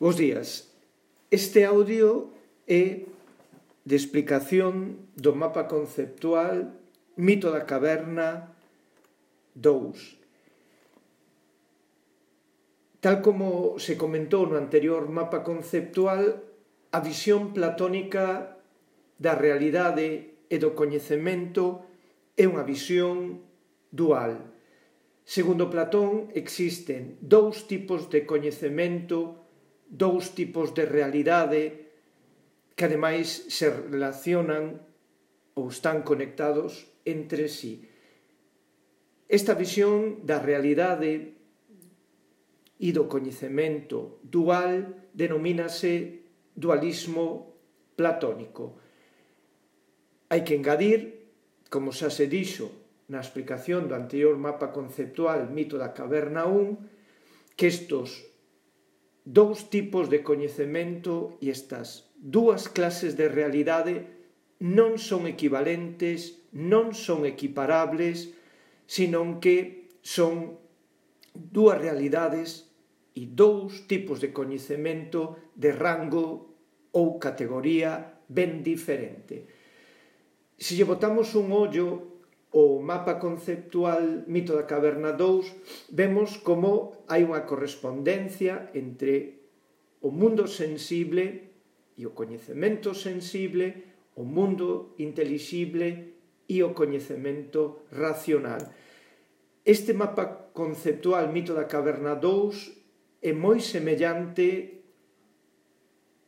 Bos días. Este audio é de explicación do mapa conceptual Mito da Caverna 2. Tal como se comentou no anterior mapa conceptual, a visión platónica da realidade e do coñecemento é unha visión dual. Segundo Platón, existen dous tipos de coñecemento, dous tipos de realidade que ademais se relacionan ou están conectados entre sí. Esta visión da realidade e do coñecemento dual denomínase dualismo platónico. Hai que engadir, como xa se dixo na explicación do anterior mapa conceptual Mito da Caverna 1, que estos dous tipos de coñecemento e estas dúas clases de realidade non son equivalentes, non son equiparables, senón que son dúas realidades e dous tipos de coñecemento de rango ou categoría ben diferente. Se lle botamos un ollo ao mapa conceptual Mito da Caverna 2, vemos como hai unha correspondencia entre o mundo sensible e o coñecemento sensible, o mundo intelixible e o coñecemento racional. Este mapa conceptual Mito da Caverna 2 é moi semellante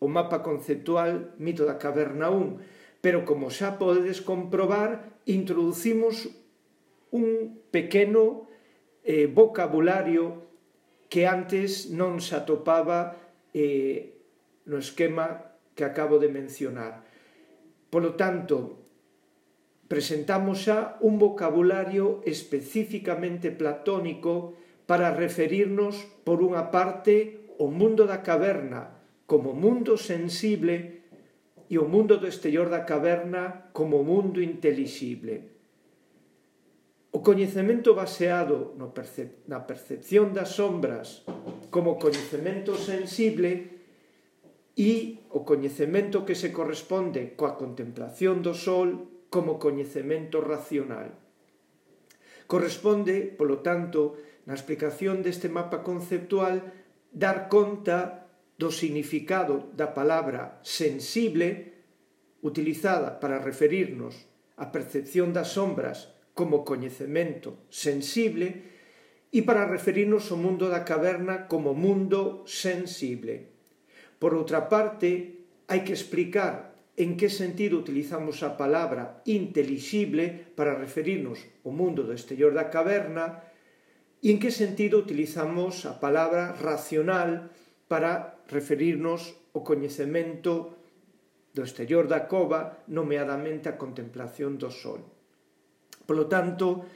ao mapa conceptual Mito da Caverna 1, pero como xa podedes comprobar, introducimos un pequeno vocabulario que antes non se atopaba no esquema que acabo de mencionar. Polo tanto, presentamos xa un vocabulario especificamente platónico para referirnos, por unha parte, ao mundo da caverna como mundo sensible e o mundo do exterior da caverna como mundo intelixible. O coñecemento baseado na percepción das sombras como coñecemento sensible e o coñecemento que se corresponde coa contemplación do sol como coñecemento racional. Corresponde, polo tanto, na explicación deste mapa conceptual, dar conta do significado da palabra sensible utilizada para referirnos á percepción das sombras como coñecemento sensible e para referirnos ao mundo da caverna como mundo sensible. Por outra parte, hai que explicar en que sentido utilizamos a palabra intelixible para referirnos ao mundo do exterior da caverna e en que sentido utilizamos a palabra racional para referirnos ao coñecemento do exterior da cova, nomeadamente a contemplación do sol. Polo tanto,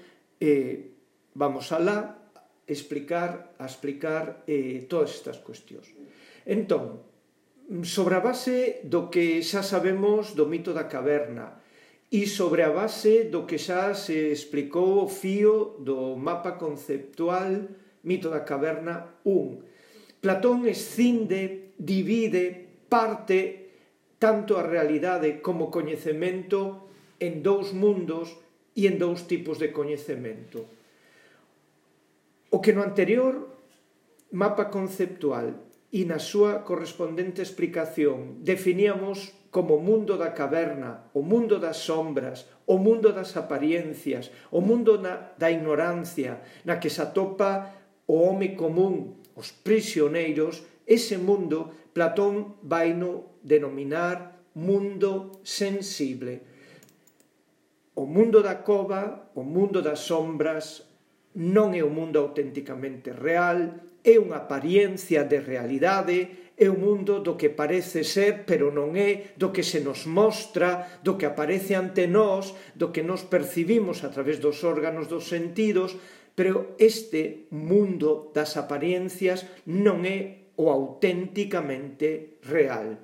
vamos alá a explicar todas estas cuestións. Entón, sobre a base do que xa sabemos do mito da caverna e sobre a base do que xa se explicou o fío do mapa conceptual Mito da Caverna 1, Platón escinde, divide, parte tanto a realidade como coñecemento en dous mundos e en dous tipos de coñecemento. O que no anterior mapa conceptual e na súa correspondente explicación definíamos como mundo da caverna, o mundo das sombras, o mundo das apariencias, o mundo da ignorancia, na que se atopa o home común, os prisioneiros, ese mundo Platón vaino denominar mundo sensible. O mundo da cova, o mundo das sombras, non é o mundo auténticamente real, é unha apariencia de realidade, é o mundo do que parece ser, pero non é, do que se nos mostra, do que aparece ante nós, do que nos percibimos a través dos órganos dos sentidos, pero este mundo das apariencias non é o auténticamente real.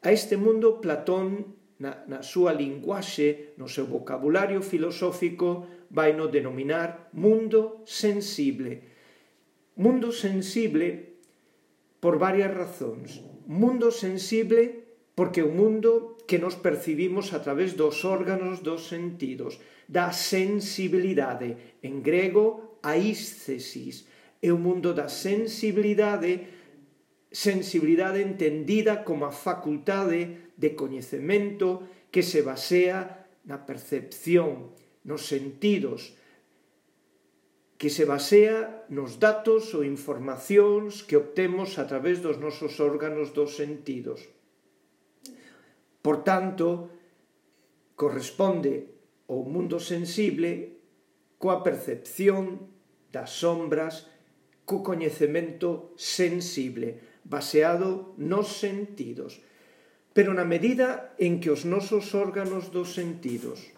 A este mundo Platón, na súa linguaxe, no seu vocabulario filosófico, vai no denominar mundo sensible. Mundo sensible por varias razóns. Mundo sensible porque é un mundo que nos percibimos a través dos órganos dos sentidos, da sensibilidade. En grego, aísthesis. É o mundo da sensibilidade entendida como a facultade de coñecemento que se basea na percepción, nos sentidos, que se basea nos datos ou informacións que obtemos a través dos nosos órganos dos sentidos. Por tanto, corresponde ao mundo sensible coa percepción das sombras, co coñecemento sensible, baseado nos sentidos. Pero na medida en que os nosos órganos dos sentidos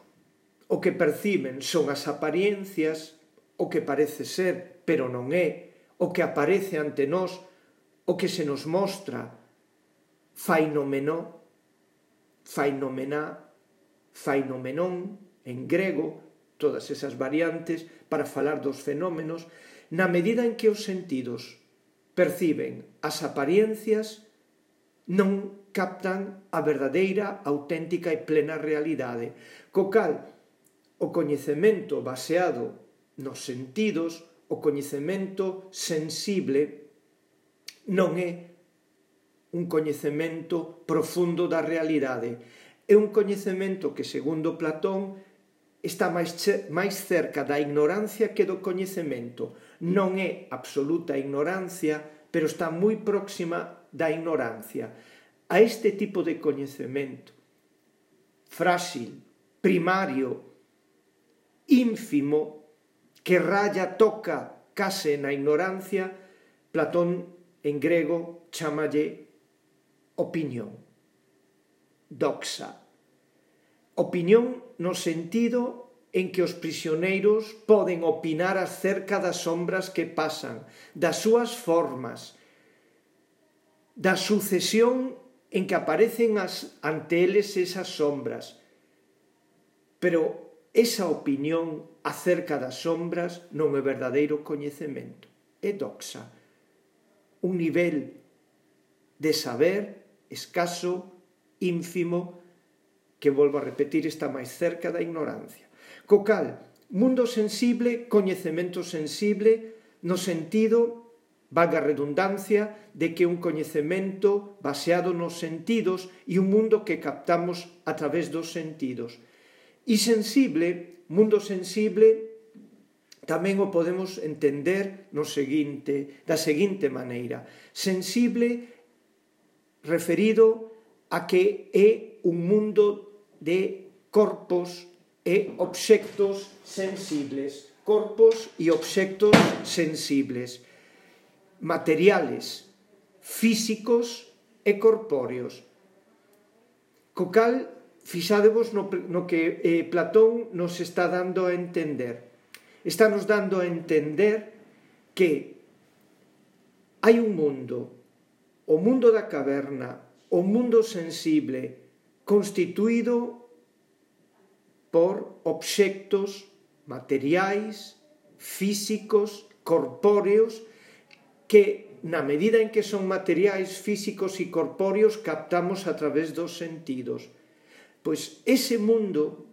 o que perciben son as apariencias, o que parece ser, pero non é, o que aparece ante nós, o que se nos mostra, fainomeno, fainomená, fainomenon, en grego, todas esas variantes para falar dos fenómenos, na medida en que os sentidos perciben as apariencias, non captan a verdadeira, auténtica e plena realidade. Co cal, o coñecemento baseado nos sentidos, o coñecemento sensible, non é un coñecemento profundo da realidade. É un coñecemento que, segundo Platón, está máis cerca da ignorancia que do coñecemento. Non é absoluta ignorancia, pero está moi próxima da ignorancia. A este tipo de coñecemento frágil, primario, ínfimo, que raya, toca case na ignorancia, Platón en grego chámalle opinión, doxa. Opinión no sentido en que os prisioneiros poden opinar acerca das sombras que pasan, das súas formas, da sucesión en que aparecen ante eles esas sombras. Pero esa opinión acerca das sombras non é verdadeiro coñecemento, é doxa, un nivel de saber escaso, ínfimo, que, volvo a repetir, está máis cerca da ignorancia. Co cal, mundo sensible, coñecemento sensible, no sentido, valga a redundancia, de que un coñecemento baseado nos sentidos e un mundo que captamos a través dos sentidos. E sensible, mundo sensible, tamén o podemos entender da seguinte maneira. Sensible referido a que é un mundo de corpos e obxectos sensibles. Corpos e obxectos sensibles, materiales, físicos e corpóreos. Co cal, fixádevos no que Platón nos está dando a entender. Está nos dando a entender que hai un mundo, o mundo da caverna, o mundo sensible, constituído por obxectos materiais, físicos, corpóreos, que na medida en que son materiais, físicos e corpóreos captamos a través dos sentidos. Pois ese mundo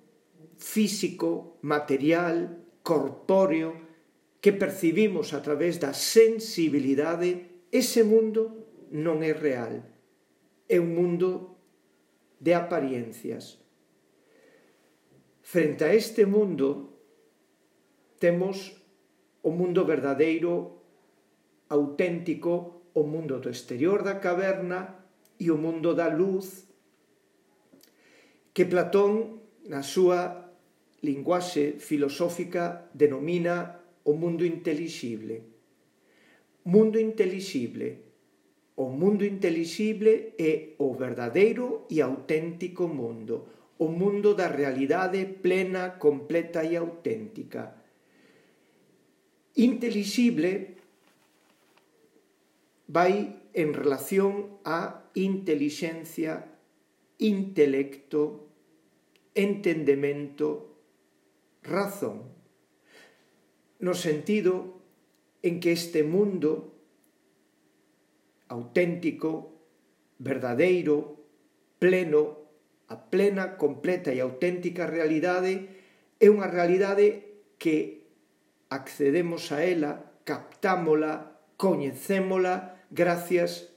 físico, material, corpóreo, que percibimos a través da sensibilidade, ese mundo non é real. É un mundo de apariencias. Frente a este mundo, temos o mundo verdadeiro, auténtico, o mundo do exterior da caverna e o mundo da luz, que Platón, na súa linguaxe filosófica, denomina o mundo intelixible. Mundo intelixible. O mundo intelixible é o verdadeiro e auténtico mundo, o mundo da realidade plena, completa e auténtica. Intelixible vai en relación á intelixencia, intelecto, entendemento, razón, no sentido en que este mundo auténtico, verdadeiro, pleno, a plena, completa e auténtica realidade é unha realidade que accedemos a ela, captámola, coñecémola gracias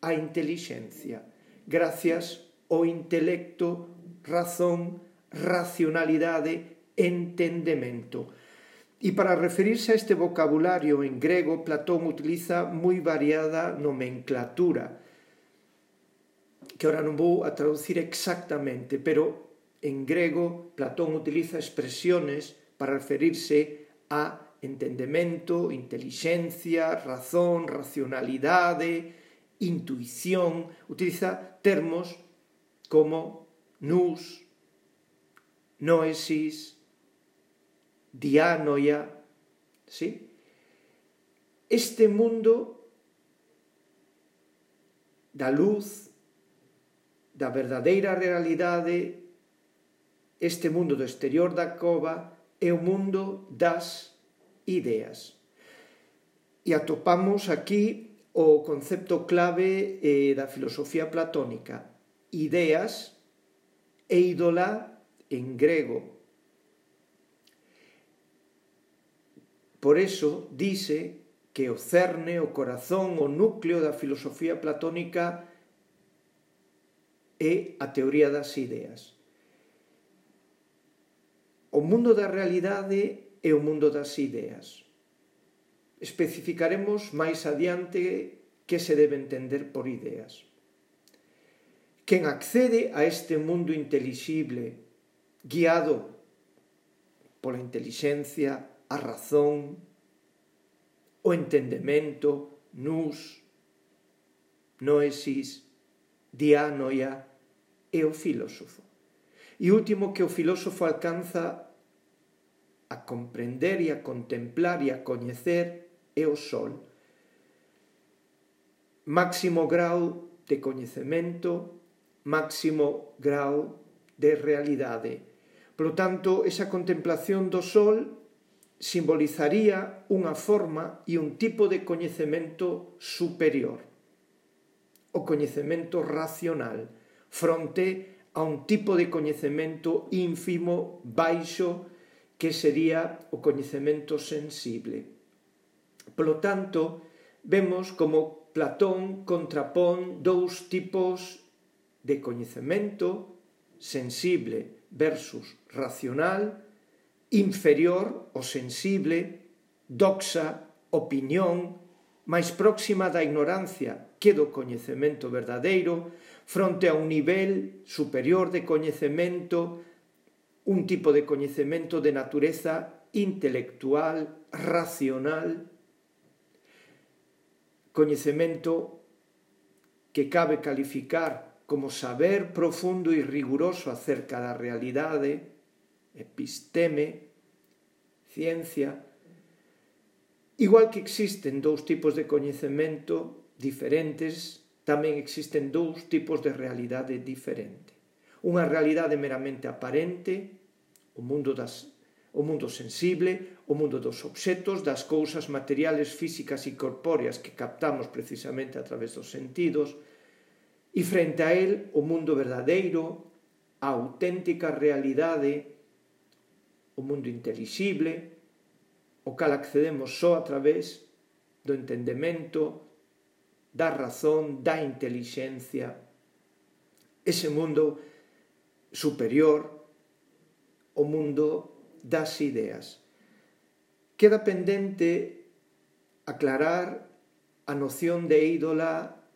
á intelixencia, gracias ao intelecto, razón, racionalidade, entendemento. E para referirse a este vocabulario en grego, Platón utiliza moi variada nomenclatura, que ahora non vou a traducir exactamente, pero en grego Platón utiliza expresiones para referirse a entendemento, intelixencia, razón, racionalidade, intuición. Utiliza termos como nous, noesis, dianoia, ¿sí? Este mundo da luz, da verdadeira realidade, este mundo do exterior da cova é o mundo das ideas. E atopamos aquí o concepto clave da filosofía platónica, ideas, eidola en grego. Por eso dice que o cerne, o corazón, o núcleo da filosofía platónica é a teoría das ideas. O mundo da realidade é o mundo das ideas. Especificaremos máis adiante que se debe entender por ideas. Quen accede a este mundo intelixible, guiado pola intelixencia, a razón, o entendemento, nous, noesis, dianoia, é o filósofo. E último que o filósofo alcanza a comprender e a contemplar e a coñecer é o sol. Máximo grau de coñecemento, máximo grau de realidade. Por lo tanto, esa contemplación do sol simbolizaría unha forma e un tipo de coñecemento superior, o coñecemento racional, fronte a un tipo de coñecemento ínfimo, baixo, que sería o coñecemento sensible. Por lo tanto, vemos como Platón contrapón dous tipos de coñecemento sensible versus racional, inferior o sensible, doxa, opinión, máis próxima da ignorancia que do coñecemento verdadeiro, fronte a un nivel superior de coñecemento, un tipo de coñecemento de natureza intelectual, racional, coñecemento que cabe calificar como saber profundo e riguroso acerca da realidade, episteme, ciencia. Igual que existen dous tipos de coñecemento diferentes, tamén existen dous tipos de realidade diferente. Unha realidade meramente aparente, o mundo sensible, o mundo dos obxetos, das cousas materiales, físicas e corpóreas que captamos precisamente a través dos sentidos, e frente a él o mundo verdadeiro, a auténtica realidade, o mundo intelixible, o cal accedemos só a través do entendemento, da razón, da intelixencia, ese mundo superior, o mundo das ideas. Queda pendente aclarar a noción de ídola,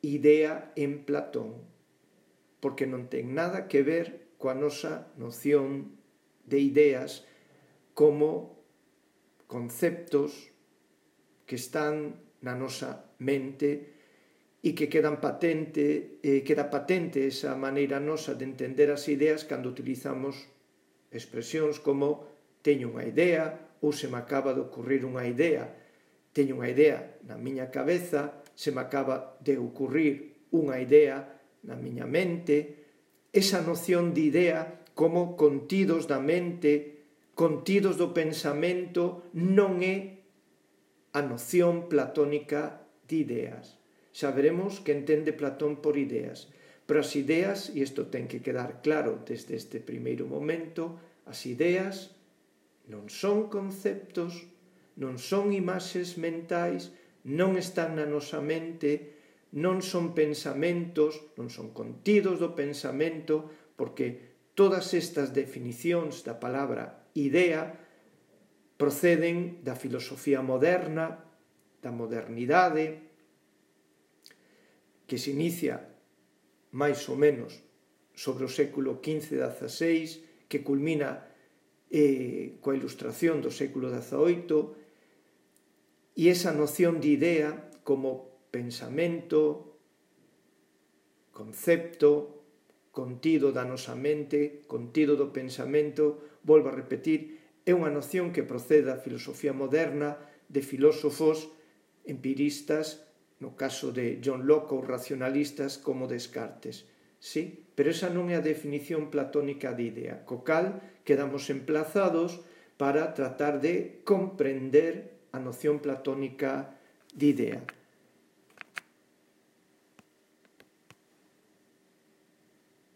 idea en Platón, porque non ten nada que ver coa nosa noción de ideas como conceptos que están na nosa mente e que queda patente esa maneira nosa de entender as ideas cando utilizamos expresións como teño unha idea ou se me acaba de ocurrir unha idea. Teño unha idea na miña cabeza, se me acaba de ocurrir unha idea na miña mente. Esa noción de idea como contidos da mente, contidos do pensamento, non é a noción platónica de ideas. xa veremos que entende Platón por ideas. Pero as ideas, e isto ten que quedar claro desde este primeiro momento, as ideas non son conceptos, non son imaxes mentais, non están na nosa mente, non son pensamentos, non son contidos do pensamento, porque todas estas definicións da palabra idea proceden da filosofía moderna, da modernidade, que se inicia máis ou menos sobre o século XV-XVI, que culmina coa Ilustración do século XVIII, e esa noción de idea como pensamento, concepto, contido da nosa mente, contido do pensamento, volvo a repetir, é unha noción que procede da filosofía moderna, de filósofos empiristas, no caso de John Locke, ou racionalistas como Descartes. Sí, pero esa non é a definición platónica de idea, co cal quedamos emplazados para tratar de comprender a noción platónica de idea.